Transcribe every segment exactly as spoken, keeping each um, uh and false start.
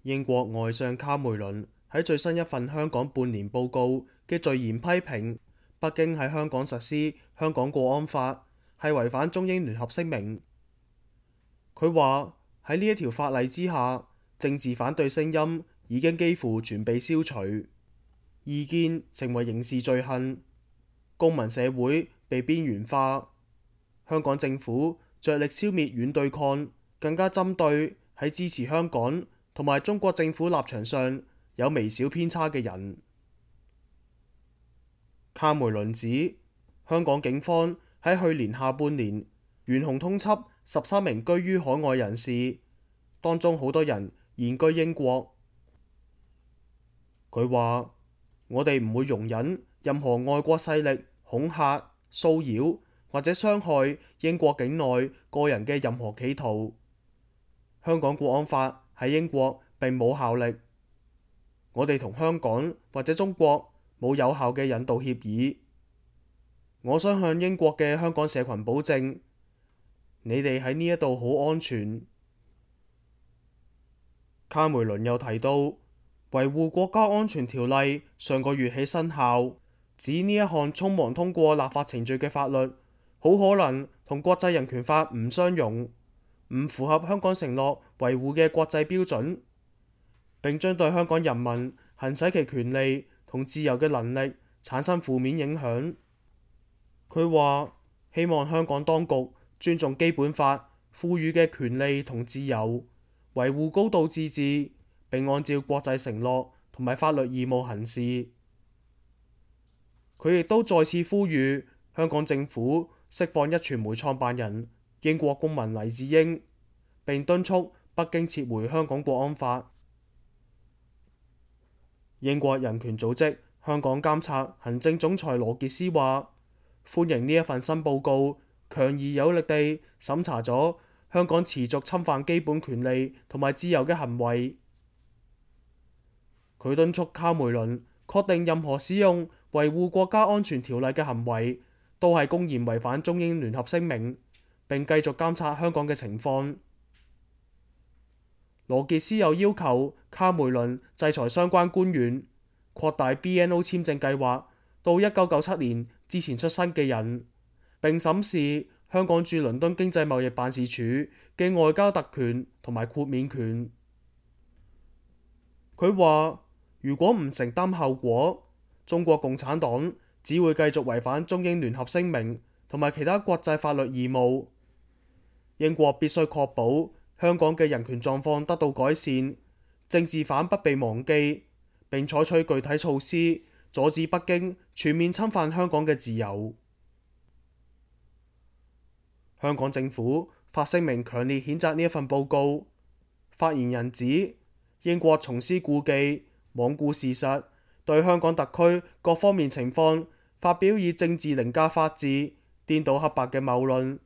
英國外相卡梅倫喺最新一份香港半年報告嘅序言批評北京喺香港實施香港國安法係違反中英聯合聲明。佢話喺呢一條法例之下，政治反對聲音已經幾乎全被消除，異見成為刑事罪行，公民社會被邊緣化。香港政府着力消滅軟對抗，更加針對喺支持香港同埋中國政府立場上有微小偏差嘅人。卡梅倫指，香港警方喺去年下半年懸紅通緝十三名居於海外人士，當中好多人現居英國。佢話：我哋唔會容忍任何外國勢力恐嚇、騷擾或者傷害英國境內個人嘅任何企圖。香港國安法喺英國並冇效力，我哋同香港或者中國冇有效嘅引渡協議。我想向英國嘅香港社群保證，你哋喺呢一度好安全。卡梅倫又提到，維護國家安全條例上個月起生效，指呢一項匆忙通過立法程序嘅法律，好可能同國際人權法唔相容，唔符合香港承諾維護嘅國際標準，並將對香港人民行使其權利同自由嘅能力產生負面影響。佢話：希望香港當局尊重基本法賦予嘅權利同自由，維護高度自治，並按照國際承諾同埋法律義務行事。佢亦都再次呼籲香港政府釋放壹傳媒創辦人英國公民黎智英，並敦促北京撤回香港國安法。英國人權組織香港監察行政總裁羅傑斯話：歡迎呢一份新報告，強而有力地審查咗香港持續侵犯基本權利同埋自由嘅行為。佢敦促卡梅倫確定任何使用維護國家安全條例嘅行為都係公然違反中英聯合聲明，並繼續監察香港嘅情況。羅傑斯又要求卡梅倫制裁相關官員，擴大 B N O 簽證計劃到一九九七年之前出生嘅人，並審視香港駐倫敦經濟貿易辦事處嘅外交特權同埋豁免權。佢話：如果唔承擔後果，中國共產黨只會繼續違反中英聯合聲明同埋其他國際法律義務。英國必須確保香港嘅人權狀況得到改善，政治犯不被忘記，並採取具體措施阻止北京全面侵犯香港嘅自由。香港政府發聲明強烈譴責呢一份報告。發言人指，英國重施故技，罔顧事實，對香港特區各方面情況發表以政治凌駕法治、顛倒黑白嘅謬論，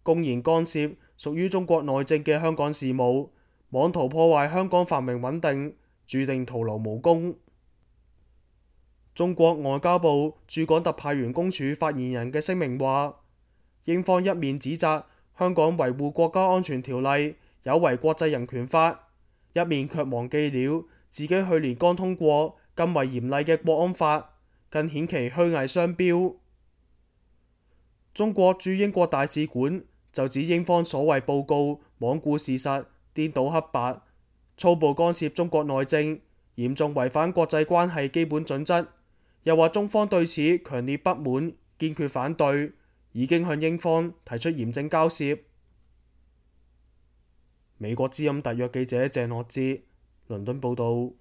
公然干涉屬於中國內政嘅香港事務，妄圖破壞香港繁榮穩定，注定徒勞無功。中國外交部駐港特派員公署發言人嘅聲明話：英方一面指責香港維護國家安全條例有違國際人權法，一面卻忘記了自己去年剛通過更為嚴厲嘅國安法，更顯其虛偽雙標。中國駐英國大使館就指英方所謂報告罔顧事實、顛倒黑白、粗暴干涉中國內政，嚴重違反國際關係基本準則，又話中方對此強烈不滿，堅決反對，已經向英方提出嚴正交涉。美國之音特約記者鄭樂哲，倫敦報導。